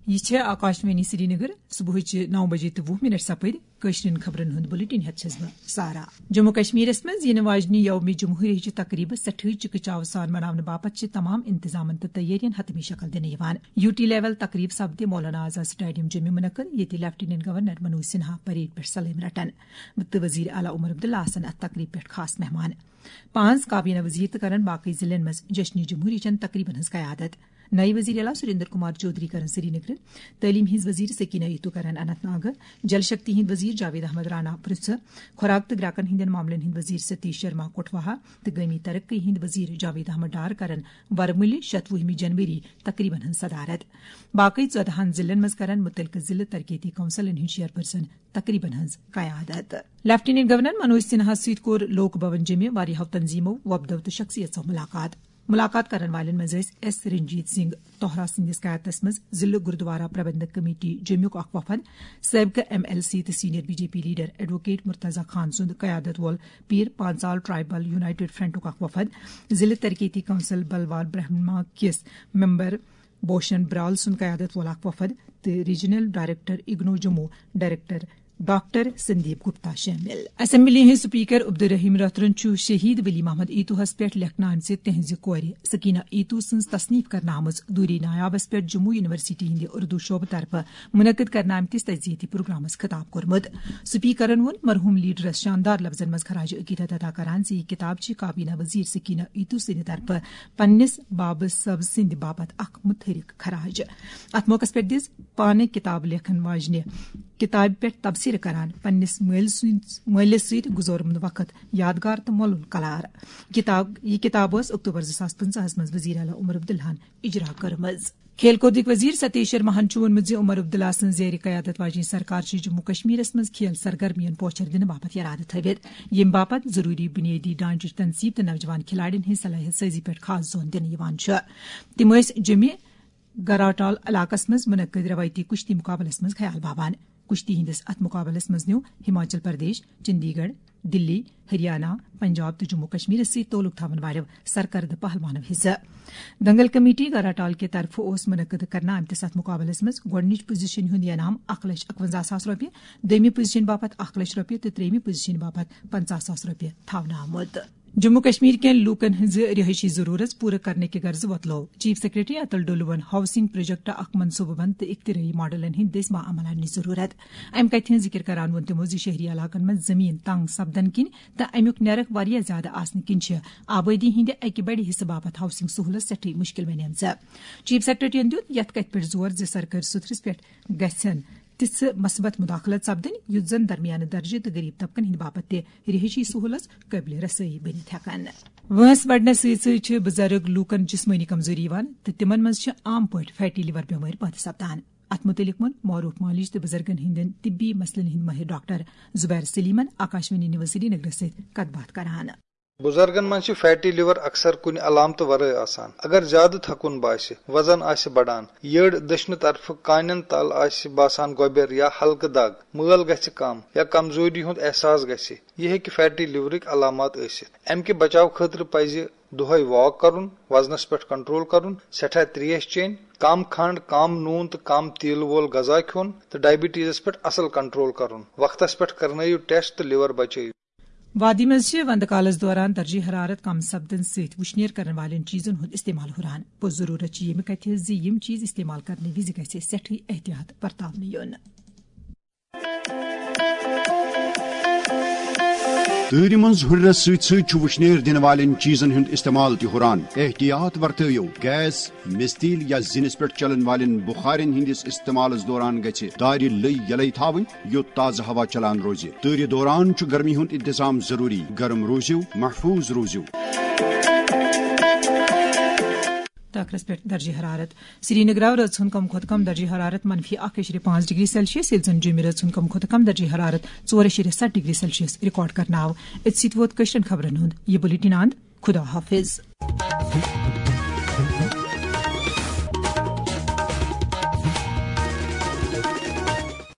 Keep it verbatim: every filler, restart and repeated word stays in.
یہِ چھےٚ آکاشوانی سرینگر۔ صبحٕچہِ نو بجے تہٕ وُہ منٹ سپٕدۍ۔ کٲشرٮ۪ن خبرن ہُنٛد بُلٹن ہٮ۪تھ چھَس بہٕ سارا۔ جموں کشمیرس منٛز یِنہٕ واجنہِ یومِ جمہوریہٕچہِ تقریبہٕ سٮ۪ٹھٕے چِکہٕ چاوٕ سان مناونہٕ باپتھ چھِ تمام انتظامن تہٕ تیٲرین حتمی شکل دِنہٕ یِوان۔ یو ٹی لیول تقریب سپدِ مولانا آزاد سٹیڈیم جوٚمہِ منعقد، ییٚتہِ lieutenant governor Manoj Sinha parade پٮ۪ٹھ سلٲمۍ رٹن۔ تہٕ وزیر اعلیٰ عمر عبداللہ آسن اتھ تقریب پٮ۪ٹھ خاص مہمان۔ پانٛژھ کابینہ وزیر تہٕ کرن باقی ضلعن منٛز جشنِ جمہوریہ چٮ۪ن تقریبن ہٕنٛز قیادت۔ نئے وزیر اعلیٰ سریندر کمار چودھری کرن سرینگر، تعلیم ہٕنٛز وزیر سکینہ ایتو کرن اننت ناگ، جل شکتی ہٕنٛدۍ وزیر جاوید احمد رانا پرژھ، خوراک تہٕ گراکن ہٕنٛدٮ۪ن معاملن ہٕنٛدۍ وزیر ستیش شرما کٹھواہا تہٕ گٲمی ترقی ہٕنٛدۍ وزیر جاوید احمد ڈار کرن ورمُلہِ شتوُہمہِ جنوری تقریبن ہٕنٛز صدارت۔ باقی ژۄدہن ضلعن منٛز کرن متعلقہٕ ضلعہٕ ترقیتی کونسلن ہٕنٛدۍ چیئرپرسن تقریبن ہٕنٛز قیادت۔ لیفٹیننٹ گورنر منوج سنہاس سۭتۍ کوٚر لوک بھون جیٚمہِ واریاہو تنظیمو، وۄپدو تہٕ شخصیژو ملاقات۔ ملاقات کرن والٮ۪ن منٛز ٲسۍ ایس رنجیت سنگھ توہرا سٕنٛدِس قیادتس منٛز ضلعہٕ گردوارا پربندک کمیٹی جیٚمیُک اکھ وفد، سٲبقہٕ ایم ایل سی تہٕ senior B J P leader advocate Murtaza Khan سُنٛد قیادت وول پیر پانژال ٹرائبل یونائیٹڈ فرنٹُک اکھ وفد، ضلعہٕ ترقیتی کونسل بلوال برہما کِس ممبر بوشن برال سُنٛد قیادت وول اکھ وفد تہٕ regional director IGNOU Jammu director doctor Sandeep Gupta شٲمِل۔ اسمبلی ہٕنٛدۍ سپیکر عبدالرحیم رتھرن چھُ شہید ولی محمد ایتوہس پٮ۪ٹھ لیکھنہٕ آمژِ تہنٛزِ کورِ سکینہ ایتو سٕنٛز تصنیف کرنہٕ آمٕژ دوٗری نایابس پٮ۪ٹھ جموں یونیورسٹی ہٕنٛدِ اردو شعبہٕ طرفہٕ منعقد کرنہٕ آمتِس تعزیتی پروگرامس خطاب کوٚرمُت۔ سپیکرن ووٚن، مرحوم لیڈرس شاندار لفظن منٛز خراج عقیدت ادا کران زِ یہِ کتاب چھِ کابینہ وزیر سکینہ ایتو سٕنٛدِ طرفہٕ پننِس بابہٕ صٲب سٕنٛدِ باپتھ اکھ متحرک خراج۔ اتھ موقعس پٮ۪ٹھ دِژ پانہٕ کتاب لیکھن واجنہِ کتابہِ پٮ۪ٹھ تبصرٕ کران پننِس مٲلۍ سٕنٛز، مٲلِس سۭتۍ گُزورمُت وقت یادگار تہٕ مۄلُل قرار۔ کتاب، یہِ کتاب ٲس اکتوبر زٕ ساس پٕنٛژٕہس منٛز وزیر اعلیٰ عمر عبداللہن اجرا کٔرمٕژ۔ کھیل کودٕکۍ وزیر ستیش شرماہن چھُ ووٚنمُت زِ عمر عبداللہ سٕنٛز زیر قیادت واجنۍ سرکار چھِ جموں کشمیرس منٛز کھیل سرگرمین پوچھر دِنہٕ باپتھ ارادٕ تھٲوِتھ، ییٚمہِ باپتھ ضروٗری بُنیٲدی ڈھانچٕچ تنصیب تہٕ نوجوان کھلاڑین ہٕنٛز صلاحیت سٲزی پٮ۪ٹھ خاص زون دِنہٕ یِوان چھُ۔ تِم ٲسۍ جیٚمہِ گراٹال علاقس منٛز منعقد روایتی کُشتی مقابلس منٛز خیال باوان۔ کُشتی ہٕنٛدِس اتھ مقابلس منٛز نیوٗ ہماچل پردیش، چندی گڑھ، دلی، ہریانہ، پنجاب تہٕ جموں کشمیرس سۭتۍ تعلق تھاون والٮ۪و سرکردٕ پہلوانو حصہٕ۔ دنگل کمیٹی گراٹال کہِ طرفہٕ اوس منعقد کرنہٕ آمتِس اتھ مقابلس منٛز گۄڈٕنِچ پوزیشن ہُنٛد انعام اکھ لچھ اکونزہ ساس رۄپیہِ، دوٚیمہِ پوزیشن باپتھ اکھ لچھ رۄپیہِ تہٕ ترٛیٚیمہِ پوزیشن باپتھ پنژاہ ساس رۄپیہِ تھاونہٕ آمُت۔ جموں کشمیر کٮ۪ن لوٗکن ہٕنٛزٕ رہٲیشی ضروٗرت پوٗرٕ کرنہٕ کہِ غرضہٕ وۄتلوو چیف سیکرٹری اتل ڈولون ہاؤسنگ پروجیکٹ اکھ منصوٗبہٕ بند تہٕ اختراعی ماڈلن ہٕنٛدۍ دٔسۍ باعمل اننٕچ ضروٗرت۔ امہِ کتھِ ہٕنٛز ذِکر کران ووٚن تِمو زِ شہری علاقن منٛز زٔمیٖن تنگ سپدن کِنۍ تہٕ امیُک نیرخ واریاہ زیادٕ آسنہٕ کِنۍ چھِ آبٲدی ہٕنٛدِ اکہِ بڑِ حصہٕ باپتھ ہاؤسنگ سہولت سٮ۪ٹھٕے مُشکل بنیمژٕ۔ چیف سیکرٹریَن دیُت یتھ کتھِ پٮ۪ٹھ زور زِ سرکٲرۍ سُترس پٮ۪ٹھ گژھن تِژھٕ مثبت مداخلت سپدٕنۍ، یُتھ زن درمیانہٕ درجہٕ تہٕ غریب طبقن ہٕنٛدِ باپتھ تہِ رہٲیشی سہولژ قٲبلِ رسٲیی بٔنِتھ ہٮ۪کن۔ وٲنٛس بڑنس سۭتۍ سۭتۍ چھِ بُزرگ لوٗکن جسمٲنی کمزوری یِوان تہٕ تِمن منٛز چھِ عام پٲٹھۍ فیٹی لیور بٮ۪مٲرۍ پٲدٕ سپدان۔ اتھ مُتعلق ووٚن معروف مالج تہٕ بُزرگن ہٕنٛدٮ۪ن طبی مسلن ہٕنٛدۍ مٲہِر ڈاکٹر زبیر سلیمن آکاشوانی نیوز سرینگرس سۭتۍ کتھ باتھ کران۔ بُزرگن منٛز چھِ فیٹی لیور اکثر کُنہِ علامتہٕ ورٲے آسان۔ اگر زیادٕ تھکُن باسہِ، وزن آسہِ بڑان، یٔڈ دٔچھنہٕ طرفہٕ کانٮ۪ن تل آسہِ باسان گۄبٮ۪ر یا ہلکہٕ دگ، مٲل گژھِ کم یا کمزوری ہُنٛد احساس گژھِ، یہِ ہیٚکہِ فیٹی لیورٕکۍ علامات ٲسِتھ۔ امہِ کہِ بچاو خٲطرٕ پزِ دۄہے واک کرُن، وزنس پٮ۪ٹھ کنٹرول کرُن، سٮ۪ٹھاہ تریش چیٚنۍ، کم کھنڈ، کم نوٗن تہٕ کم تیٖلہٕ وول غذا کھیوٚن تہٕ ڈائبٹیزس پٮ۪ٹھ اصل کنٹرول کرُن۔ وقتس پٮ۪ٹھ کرنٲیِو ٹیسٹ تہٕ لیور بچٲیِو۔ وادی منٛز چھِ وندٕ کالس دوران درجہ حرارت کم سپدنہٕ سۭتۍ وُشنیر کرن والٮ۪ن چیزن ہُنٛد استعمال ہُران۔ پوٚز ضروٗرت چھِ ییٚمہِ کتھِ زِ یِم چیز استعمال کرنہٕ وِزِ گژھِ سٮ۪ٹھٕے احتیاط برتاونہٕ یُن۔ تۭرِ منٛز ہُرنس سۭتۍ سۭتۍ چھُ وُشنیر دِنہٕ والٮ۪ن چیزن ہُنٛد استعمال تہِ ہُران۔ احتیاط ورتٲیِو۔ گیس، مِستیٖل یا زِنِس پٮ۪ٹھ چلن والٮ۪ن بُخارٮ۪ن ہٕنٛدِس استعمالس دوران گژھِ دارِ لٔۍ یلے تھاوٕنۍ، یوٚت تازٕ ہوا چلان روزِ۔ تۭرِ دوران چھُ گرمی ہُنٛد انتظام ضروٗری۔ گرم روٗزِو، محفوٗظ روٗزِو۔ ٹاکرس پٮ۪ٹھ درجہ حرارت۔ سرینگرٕ آو رٲژ ہُنٛد کم کھۄتہٕ کم درجہ حرارت منفی اکھ اعشاریہ پانٛژھ ڈگری سیلسیس، ییٚلہِ زن جوٚمہِ رٲژ ہُنٛد کم کھۄتہٕ کم درجہ حرارت ژور اعشاریہ ستھ ڈگری سیلسیس ریکارڈ کرنہٕ آو۔ أتھۍ سۭتۍ ووت کٲشرٮ۪ن خبرن ہُنٛد یہِ بُلٹن اند۔ خدا حافظ۔